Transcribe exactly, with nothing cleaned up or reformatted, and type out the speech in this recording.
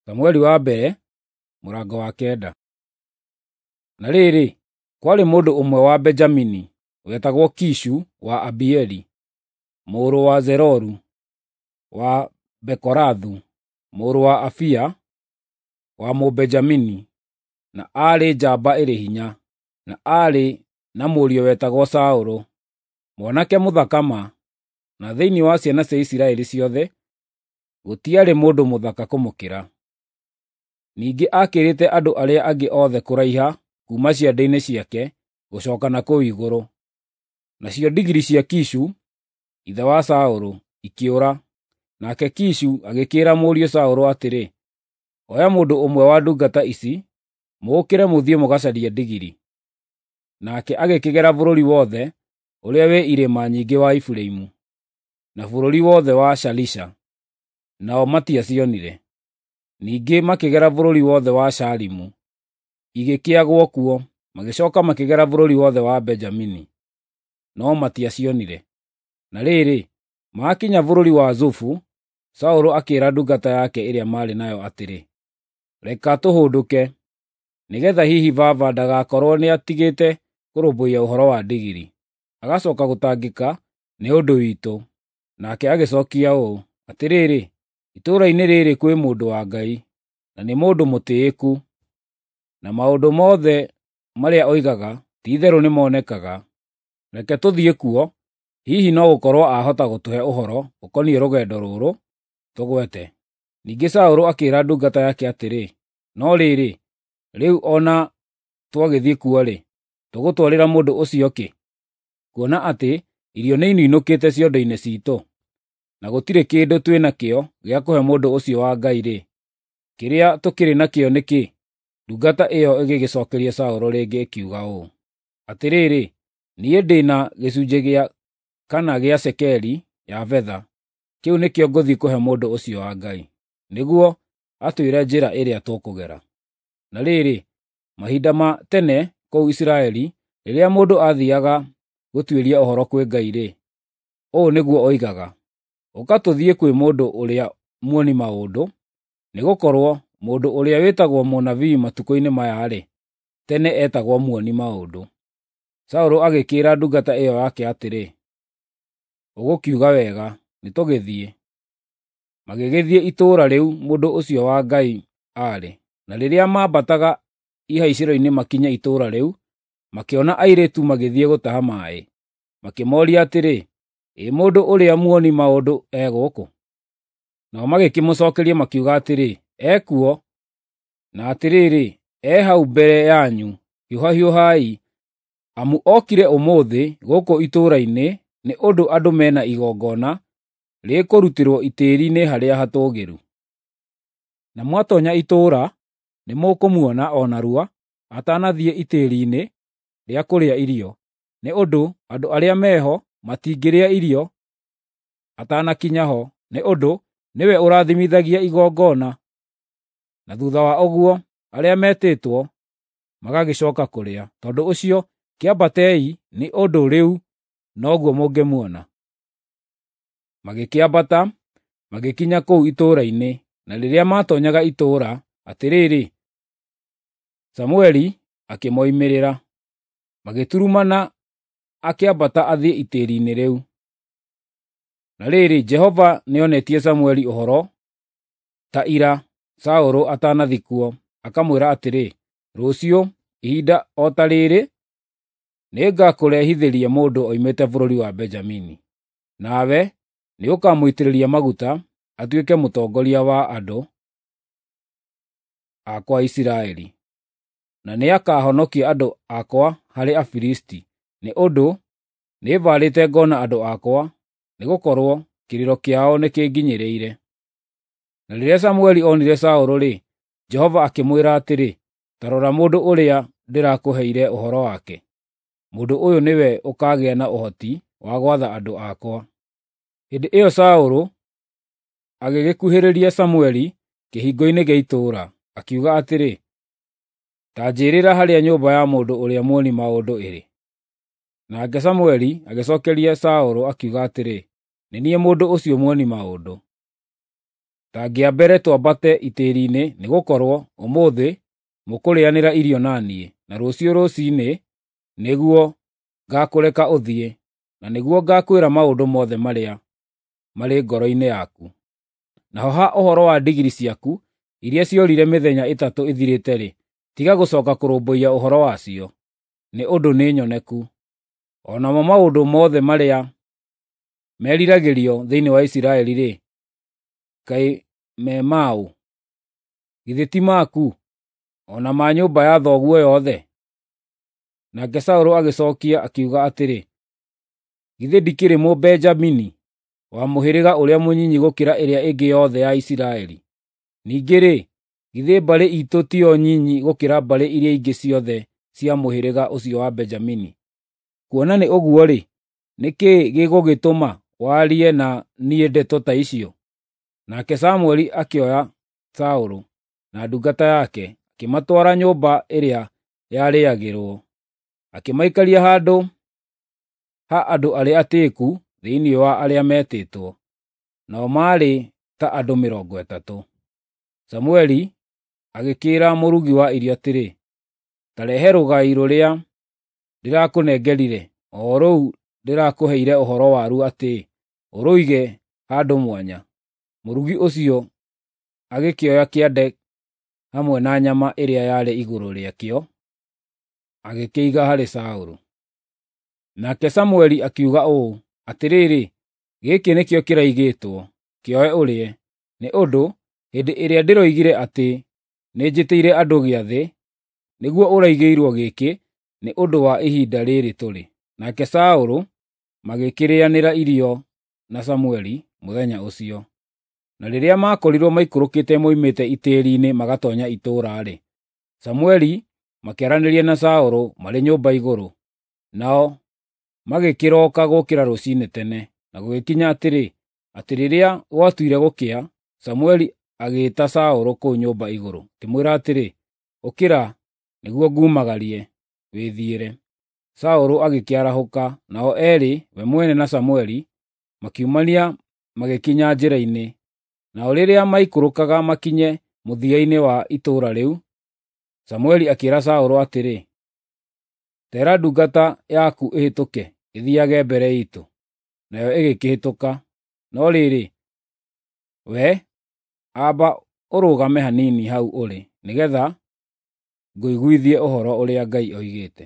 Samueli wa mbere, mũrango wa kenda. Na rĩrĩ, kwarĩ mũndũ ũmwe wa Benjamini wetagwo Kishu wa Abieli, mũrũ wa Zeroru, wa Bekorathu, mũrũ wa Afia, wa Mũbenjamini, na aarĩ njamba ĩrĩ hinya, na aarĩ na mũriũ wetagwo Saũlũ, mwanake mũthaka ma, na thĩinĩ wa ciana cia Isiraeli ciothe gũtiarĩ mũndũ mũthaka kũmũkĩra. Ningĩ aakĩrĩte andũ arĩa angĩ othe kũraiha kuuma ciande-inĩ ciake gũcooka na kũu igũrũ. Nacio ndigiri cia Kishu, ithe wa Saũlũ, ikĩũra, nake Kishu agĩkĩĩra mũriũ Saũlũ atĩrĩ, “Oya mũndũ ũmwe wa ndungata ici, mũũkĩre mũthiĩ mũgacarie ndigiri.” Nake agĩkĩgera bũrũri wothe ũrĩa wĩ irĩma nyingĩ wa Efiraimu, na bũrũri wothe wa Shalisha, nao matiacionire. Ningĩ makĩgera bũrũri wothe wa Shaalimu, igĩkĩagwo kuo, magĩcooka makĩgera bũrũri wothe wa Benjamini, no matiacionire. Na rĩrĩ, maakinya bũrũri wa Zufu, Saũlũ akĩĩra ndungata yake ĩrĩa maarĩ nayo atĩrĩ, “Reka tũhũndũke, nĩgeetha hihi baba ndagakorwo nĩatigĩte kũrũmbũiya ũhoro wa ndigiri, agacooka gũtangĩka nĩ ũndũ witũ.” Nake agĩcookia ũũ, “Atĩrĩrĩ, itũũra-inĩ rĩrĩ kwĩ mũndũ wa Ngai, na nĩ mũndũ mũtĩĩku, na maũndũ mothe marĩa oigaga ti-itherũ nĩmonekaga. Reke tũthiĩ kuo, hihi no gũkorwo aahota gũtũhe ũhoro ũkoniĩ rũgendo rũrũ tũgwete.” Ningĩ Saũlũ akĩĩra ndungata yake atĩrĩ, “No rĩrĩ, rĩu o na twagĩthiĩ kuo-rĩ, tũgũtwarĩra mũndũ ũcio kĩ, kuona atĩ irio nĩininũkĩte ciondo-inĩ ciitũ, na gũtirĩ kĩndũ twĩ nakĩo gĩa kũhe mũndũ ũcio wa Ngai-rĩ, kĩrĩa tũkĩrĩ nakĩo nĩ kĩĩ?” Ndungata ĩyo ĩgĩgĩcookeria Saũlũ rĩngĩ ĩkiuga ũũ, “Atĩrĩrĩ, niĩ ndĩ na gĩcunjĩ gĩa kana gĩa cekeri ya betha, kĩu nĩkĩo ngũthiĩ kũhe mũndũ ũcio wa Ngai, nĩguo atwĩre njĩra ĩrĩa tũkũgera.” Na rĩrĩ, mahinda ma tene kũu Isiraeli, rĩrĩa mũndũ aathiiaga gũtuĩria ũhoro kwĩ Ngai-rĩ, ũũ nĩguo oigaga, “Ũka tũthiĩ kwĩ mũndũ ũrĩa muoni maũndũ,” nĩgũkorwo mũndũ ũrĩa wĩtagwo mũnabii matukũ-inĩ maya-rĩ, tene etagwo muoni maũndũ. Saũlũ agĩkĩĩra ndungata ĩyo yake atĩrĩ, “Ũgũkiuga wega, nĩtũgĩthiĩ.” Magĩgĩthiĩ itũũra rĩu mũndũ ũcio wa Ngai aarĩ. Na rĩrĩa maambataga ihaicĩro-inĩ makinye itũũra rĩu, makĩona airĩtu magĩthiĩ gũtaha maaĩ. Makĩmooria atĩrĩ, “Ĩ mũndũ ũrĩa muoni maũndũ e gũkũ?” Nao magĩkĩmũcookeria makiuga atĩrĩ, “Ekuo, na atĩrĩrĩ, e hau mbere yanyu, hiũhahiũhai, amu okire ũmũthĩ gũkũ itũũra-inĩ nĩ ũndũ andũ me na igongona rĩkũrutĩrwo itĩĩri-inĩ harĩa hatũũgĩru. Na mwatoonya itũũra, nĩmũkũmuona o narua atanathiĩ itĩĩri-inĩ rĩa kũrĩa irio, nĩ ũndũ andũ arĩa me ho matingĩrĩa irio atanakinya ho, nĩ ũndũ nĩwe ũrathimithagia igongona, na thuutha wa ũguo arĩa metĩtwo magagĩcooka kũrĩa. Tondũ ũcio kĩambatei, nĩ ũndũ rĩu noguo mũngĩmuona.” Magĩkĩambata, magĩkinya kũu itũũra-inĩ, na rĩrĩa maatoonyaga itũũra, atĩrĩrĩ, Samũeli akĩmoimĩrĩra. Magĩturumana akĩambata athiĩ itĩĩri-inĩ rĩu. Na rĩrĩ, Jehova nĩonetie Samũeli ũhoro ta ira Saũlũ atanathiĩ kuo, akamwĩra atĩrĩ, “Rũciũ, ihinda o ta rĩrĩ, nĩngakũrehithĩria mũndũ oimĩte bũrũri wa Benjamini. Nawe nĩũkamũitĩrĩria maguta atuĩke mũtongoria wa andũ akwa Isiraeli, na nĩakahonokia andũ akwa harĩ Afilisti, nĩ ũndũ nĩmbaarĩte ngoona andũ akwa, nĩgũkorwo kĩrĩro kĩao nĩkĩnginyĩrĩire.” Na rĩrĩa Samũeli onire Saũlũ-rĩ, Jehova akĩmwĩra atĩrĩ, “Ta rora mũndũ ũrĩa ndĩrakũheire ũhoro wake. Mũndũ ũyũ nĩwe ũkaagĩa na ũhoti wa gwatha andũ akwa.” Hĩndĩ ĩyo Saũlũ agĩgĩkuhĩrĩria Samũeli kĩhingo-inĩ gĩa itũũra, akiuga atĩrĩ, “Ta njĩĩrĩra harĩa nyũmba ya mũndũ ũrĩa muoni maũndũ ĩrĩ.” Nake Samũeli agĩcookeria Saũlũ akiuga atĩrĩ, “Nĩ niĩ mũndũ ũcio muoni maũndũ.” Ta ngĩambere twambate itĩĩri-inĩ, nĩgũkorwo ũmũthĩ mũkũrĩanĩra irio na niĩ, na rũciũ rũciinĩ nĩguo ngaakũreka ũthiĩ, na nĩguo ngaakwĩra maũndũ mothe marĩa marĩ ngoro-inĩ yaku. Naho ha ũhoro wa ndigiri ciaku iria ciorire mĩthenya ĩtatũ ĩthirĩte-rĩ, tiga gũcooka kũrũmbũiya ũhoro wacio, nĩ ũndũ nĩ nyoneku. O namo maũndũ mothe marĩa meriragĩrio thĩinĩ wa Isiraeli-rĩ, kaĩ me ma ũ? Githĩ ti maku, o na ma nyũmba ya thoguo yothe?" Nake Saũlũ agĩcookia akiuga atĩrĩ, “Githĩ ndikĩrĩ Mũbenjamini, wa mũhĩrĩga ũrĩa mũnyinyi gũkĩra ĩrĩa ĩngĩ yothe ya Isiraeli? Ningĩ-rĩ, githĩ mbarĩ iitũ tiyo nyinyi gũkĩra mbarĩ iria ingĩ ciothe cia mũhĩrĩga ũcio wa Benjamini? Kuona nĩ ũguo-rĩ, nĩ kĩĩ gĩgũgĩtũma warie na niĩ ndeto ta icio?" Nake Samũeli akĩoya Saũlũ na ndungata yake, akĩmatwara nyũmba ĩrĩa yarĩagĩrwo, akĩmaikaria handũ ha andũ arĩa atĩĩku thĩinĩ wa arĩa meetĩtwo, nao maarĩ ta andũ mĩrongo ĩtatũ. Samũeli agĩkĩĩra mũrugi wa irio atĩrĩ, “Ta rehe rũgai rũrĩa ndĩrakũnengerire, o rũu ndĩrakũheire ũhoro waruo atĩ ũrũige handũ mwanya.” Mũrugi ũcio agĩkĩoya kĩande hamwe na nyama ĩrĩa yarĩ igũrũ rĩakĩo, agĩkĩiga harĩ Saũlũ. Nake Samũeli akiuga ũũ, “Atĩrĩrĩ, gĩkĩ nĩkĩo kĩraigĩtwo, kĩoe ũrĩe, nĩ ũndũ hĩndĩ ĩrĩa ndĩroigire atĩ nĩnjĩtĩire andũ gĩathĩ, nĩguo ũraigĩirwo gĩkĩ nĩ ũndũ wa ihinda rĩrĩ tũrĩ.” Nake Saũlũ magĩkĩrĩanĩra irio na Samũeli mũthenya ũcio. Na rĩrĩa maakorirwo maikũrũkĩte moimĩte itĩĩri-inĩ magatoonya itũũra-rĩ, Samũeli makĩaranĩria na Saũlũ marĩ nyũmba igũrũ. Nao magĩkĩroka gũũkĩra rũciinĩ tene, na gũgĩkinya atĩrĩ, atĩ rĩrĩa gwatuire gũkĩa, Samũeli agĩĩta Saũlũ kũu nyũmba igũrũ, akĩmwĩra atĩrĩ, “Ũkĩra, nĩguo ngumagarie, wĩthiĩre.” Saũlũ agĩkĩarahũka, nao eerĩ, we mwene na Samũeli, makiumania magĩkinya njĩra-inĩ. Nao rĩrĩa maikũrũkaga makinye mũthia-inĩ wa itũũra rĩu, Samũeli akĩĩra Saũlũ atĩrĩ, “Tera ndungata yaku ĩhĩtũke ĩthiiage mbere iitũ.” Nayo ĩgĩkĩhĩtũka. No rĩrĩ, we amba ũrũgame hanini hau ũrĩ, nĩgeetha ngũiguithie ũhoro ũrĩa Ngai oigĩte.